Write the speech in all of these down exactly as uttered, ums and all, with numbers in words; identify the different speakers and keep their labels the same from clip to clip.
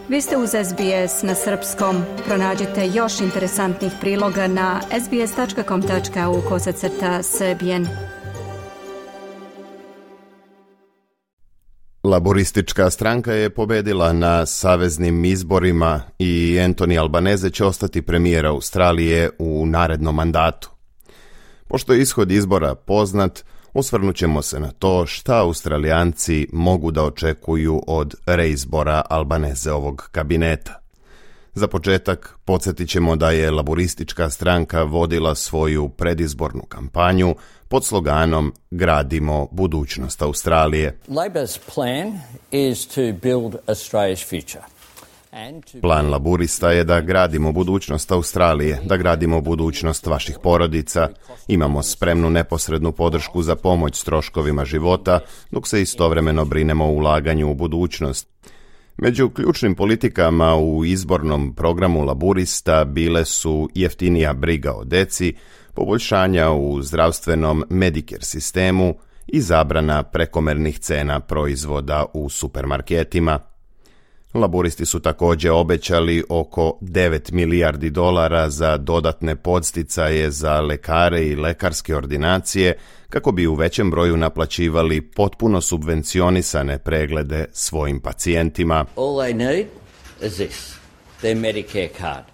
Speaker 1: Vi ste uz S B S na srpskom. Pronađite još interesantnih priloga na sbs.com.au kosacrta srbijen.
Speaker 2: Laboristička stranka je pobedila na saveznim izborima i Anthony Albanese će ostati premijer Australije u narednom mandatu. Pošto je ishod izbora poznat, osvrnut ćemo se na to šta Australijanci mogu da očekuju od reizbora Albaneseovog kabineta. Za početak podsjetit ćemo da je laboristička stranka vodila svoju predizbornu kampanju pod sloganom Gradimo budućnost Australije.
Speaker 3: Labor's plan is to build Australia's future.
Speaker 2: Plan laburista je da gradimo budućnost Australije, da gradimo budućnost vaših porodica. Imamo spremnu neposrednu podršku za pomoć s troškovima života, dok se istovremeno brinemo o ulaganju u budućnost. Među ključnim politikama u izbornom programu laburista bile su jeftinija briga o deci, poboljšanja u zdravstvenom Medicare sistemu i zabrana prekomernih cena proizvoda u supermarketima. Laburisti su također obećali oko devet milijardi dolara za dodatne podsticaje za lekare i lekarske ordinacije kako bi u većem broju naplaćivali potpuno subvencionisane preglede svojim pacijentima.
Speaker 3: All they need is this, their Medicare card.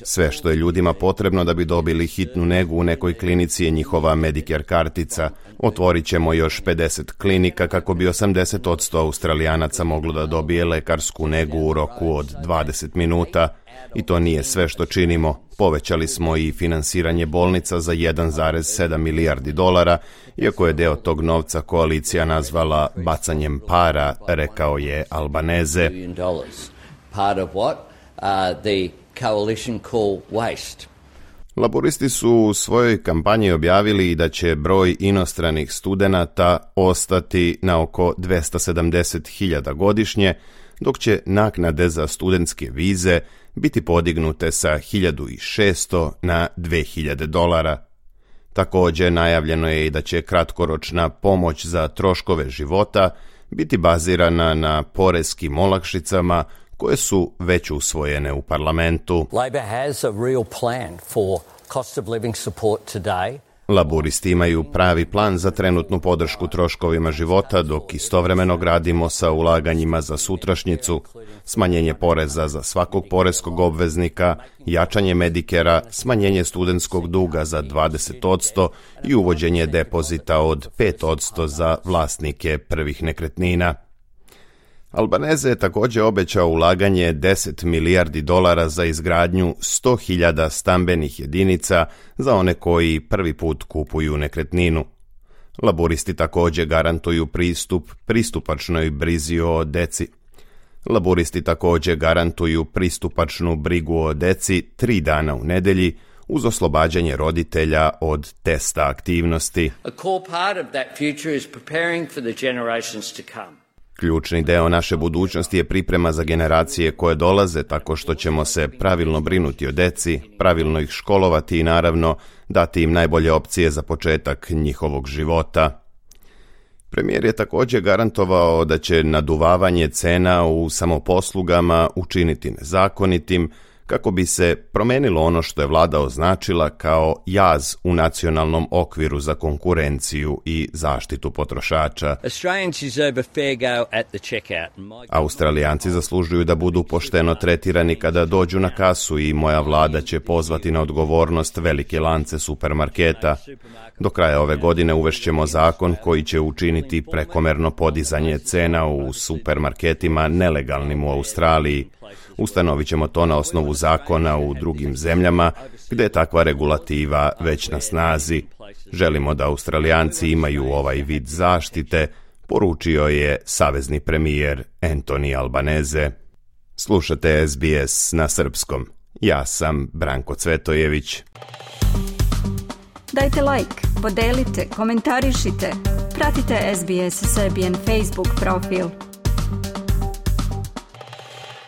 Speaker 2: Sve što je ljudima potrebno da bi dobili hitnu negu u nekoj klinici je njihova Medicare kartica. Otvorit ćemo još pedeset klinika kako bi osamdeset posto Australijanaca moglo da dobije lekarsku negu u roku od dvadeset minuta. I to nije sve što činimo. Povećali smo i finansiranje bolnica za jedan zarez sedam milijardi dolara, iako je deo tog novca koalicija nazvala bacanjem para, rekao je Albanese.
Speaker 3: Part of what? Uh, the coalition call waste.
Speaker 2: Laboristi su u svojoj kampanji objavili da će broj inostranih studenata ostati na oko dvesta sedamdeset hiljada godišnje, dok će naknade za studentske vize biti podignute sa hiljadu šesto na dve hiljade dolara. Također najavljeno je i da će kratkoročna pomoć za troškove života biti bazirana na poreskim olakšicama koje su već usvojene u parlamentu.
Speaker 3: Labor has a real plan for cost of living support today.
Speaker 2: Laburisti imaju pravi plan za trenutnu podršku troškovima života, dok istovremeno gradimo sa ulaganjima za sutrašnjicu, smanjenje poreza za svakog poreskog obveznika, jačanje Medikera, smanjenje studentskog duga za dvadeset posto i uvođenje depozita od pet posto za vlasnike prvih nekretnina. Albanese je također obećao ulaganje deset milijardi dolara za izgradnju sto hiljada stambenih jedinica za one koji prvi put kupuju nekretninu. Laburisti također garantuju pristup pristupačnoj brizi o deci. Laburisti također garantuju pristupačnu brigu o deci tri dana u nedelji uz oslobađanje roditelja od testa aktivnosti.
Speaker 3: A core part of that future is preparing for the generations to come.
Speaker 2: Ključni deo naše budućnosti je priprema za generacije koje dolaze tako što ćemo se pravilno brinuti o deci, pravilno ih školovati i naravno dati im najbolje opcije za početak njihovog života. Premijer je također garantovao da će naduvavanje cena u samoposlugama učiniti nezakonitim kako bi se promenilo ono što je vlada označila kao jaz u nacionalnom okviru za konkurenciju i zaštitu potrošača. Australijanci zaslužuju da budu pošteno tretirani kada dođu na kasu i moja vlada će pozvati na odgovornost velike lance supermarketa. Do kraja ove godine uvešćemo zakon koji će učiniti prekomerno podizanje cena u supermarketima nelegalnim u Australiji. Ustanovit ćemo to na osnovu zakona u drugim zemljama gdje je takva regulativa već na snazi. Želimo da Australijanci imaju ovaj vid zaštite, poručio je savezni premijer Anthony Albanese. Slušate S B S na srpskom. Ja sam Branko Cvetojević.
Speaker 1: Dajte like, podelite, komentarišite. Pratite S B S Serbian Facebook profil.